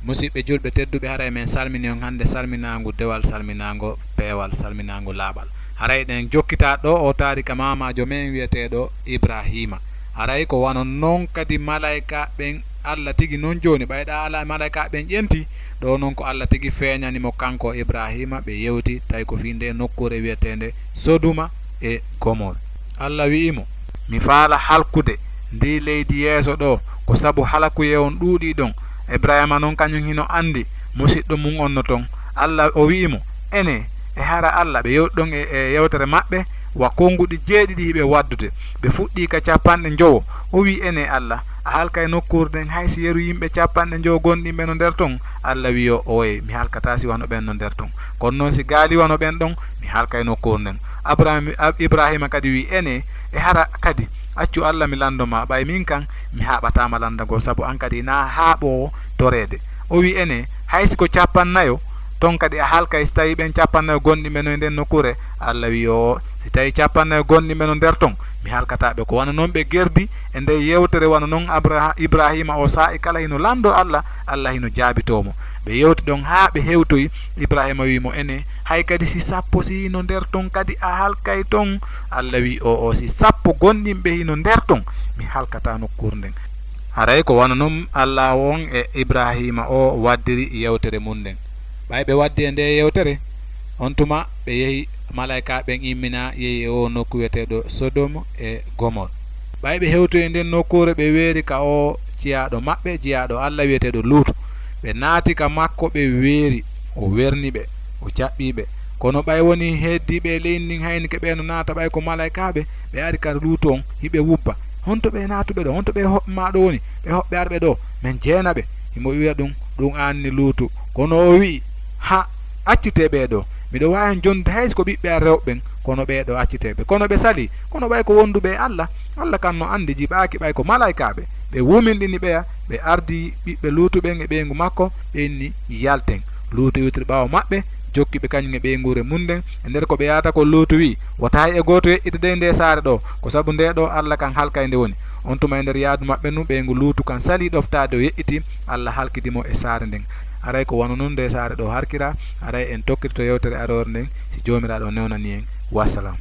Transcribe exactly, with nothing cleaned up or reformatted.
Musidɓe julɓe tedduɓe, haray men salmini on hannde salminaangu dewal, salminaango peewal, salminaango laaɓal. Haray ɗen jokkitaa ɗo o taarika maamaajo men wi'eteeɗo Ibraahiima. Haray ko wano non kadi malaykaaɓe ɓen, Alla tigi non jooni, ɓay ɗa ala malaykaaɓe ɓen ƴenti, ɗo non ko Alla tigi feeñani mo kanko Ibraahiima, ɓe yewti, tawi ko fii nde nokkuure wi'eteende Sodoma e Gomor. Alla wi'i mo, "Mi faala halkude ndii leydi yeeso ɗoo, ko sabu halakuyee on ɗuuɗii ɗon." Ibraahiima non kañum hino anndi musiɗɗo mum on no ton. Alla o wi'i mo, "Enee, e hara Alla?" Ɓe yewti ɗon e, e yewtere maɓɓe, wa konnguɗi jeeɗiɗi hiɓe waddude. Ɓe fuɗɗii ka capanɗe njowo. O wi'i, "Enee Alla, a halkay nokkuure nden hay si yeru yimɓe capanɗe njowo gonɗinɓe no nder ton?" Alla wi'i o, "Ooyee, mi halkataa si wano ɓen no nder ton. Kono non si gaali wano ɓen ɗon, mi halkay nokkuure nden." Abraham-, Ab-, Ibraahiima kadi wi'i, "Enee, e hara kadi, accu Alla mi lanndo ma, ɓay min kan mi haaɓataa ma lanndagol, sabu an kadi hinaa haaɓoowo toreede." O wi'i, "Enee, hay si ko capannayo, ton kadi a halkay si tawii ɓen capannayo gonɗinɓe no e nden nokkuure?" Alla wi'i, "Oo, si tawii capannayo gonɗinɓe no nder ton, mi halkataa ɓe. Ko wano non ɓe gerdi e nder yewtere, wano non Abraha-, Ibraahiima o saa'i kala hino lanndoo Alla, Alla hino jaabitoo mo." Ɓe yewti ɗon haa ɓe hewtoyi. Ibraahiima wi'i mo, "Enee, hay kadi si sappo si hino nder ton kadi a halkay ton?" Alla wi'i, "Oo, si sappo gonɗinɓe hino nder ton, mi halkataa nokkuure nden." Haray ko wano non Alla on e Ibraahiima o waddiri yewtere mum nden. Ɓay ɓe waddi e nde yewtere, on tuma ɓe yehi, malaykaaɓe ɓen immina yehi e oo nokku wi'eteeɗo Sodom e Gomor. Ɓay ɓe hewtoyi e nden nokkuure, ɓe weeri ka oo jiyaaɗo maɓɓe, jiyaaɗo Alla wi'eteeɗo Luutu. Ɓe naati ka makko, ɓe weeri, o werni ɓe, o jaɓɓii ɓe. Kono ɓay wonii heddiiɓe e leydi ndin haynike ɓe no naata, ɓay ko malaykaaɓe, ɓe ari ka Luutu on, hiɓe wubba. "Honto ɓee naatuɓe ɗoo? Honto ɓee hoɓɓe maa ɗoo woni? Ɓee hoɓɓe arɓe ɗoo? Men jeena ɓe." Himo wi'a ɗum, ɗum aanni Luutu. Kono o wi'i, "Ha, accitee ɓee ɗoo. Miɗo waawi on jonnude hay si ko ɓiɓɓe an rewɓe ɓen, kono ɓee ɗoo accitee ɓe." Kono ɓe salii. Kono ɓay ko wonduɓe e Alla, Alla kan no anndi, jiɓaaki ɓay ko malaykaaɓe. Ɓe wuminɗini ɓeya, ɓe ardi ɓiɓɓe Luutu ɓen e ɓeyngu makko, ɓe inni, "Yalten." Luutu iwtiri ɓaawo maɓɓe, jokki ɓe kañum e ɓeynguure mum nden. E nder ko ɓe yaata ko, Luutu wi'i, "Wota hay e gooto yeƴƴita dey ndee saare ɗoo, ko sabu ndee ɗoo Alla kan halkay nde woni." On tuma e nder yaadu maɓɓe ndun, ɓeyngu Luutu kan salii ɗoftaade, o yeƴƴitii, Alla halkidi mo e saare nden. Haray ko wano non ndee saare ɗoo harkiraa, haray en tokkitoto yewtere aroore nden, si Joomiraaɗo newnanii en. Wassalam.